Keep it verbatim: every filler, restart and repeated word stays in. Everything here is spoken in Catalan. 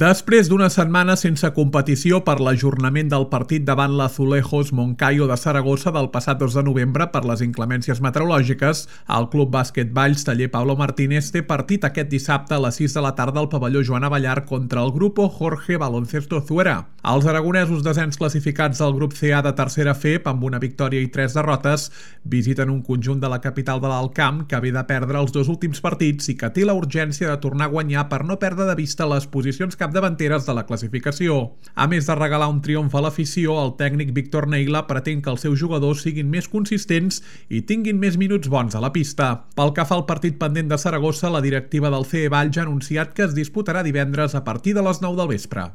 Després d'una setmana sense competició per l'ajornament del partit davant l'Azulejos Moncayo de Saragossa del passat dos de novembre per les inclemències meteorològiques, el Club Bàsquet Valls Taller Pablo Martínez té partit aquest dissabte a les sis de la tarda al pavelló Joan Abellar contra el Grupo Jorge Baloncesto Zuera. Els aragonesos desens classificats del grup C A de tercera F E P amb una victòria i tres derrotes visiten un conjunt de la capital de l'Alt Camp que ve de perdre els dos últims partits i que té la urgència de tornar a guanyar per no perdre de vista les posicions capdavanteres de la classificació. A més de regalar un triomf a l'afició, el tècnic Víctor Neila pretén que els seus jugadors siguin més consistents i tinguin més minuts bons a la pista. Pel que fa al partit pendent de Saragossa, la directiva del C E Valls ha anunciat que es disputarà divendres a partir de les nou del vespre.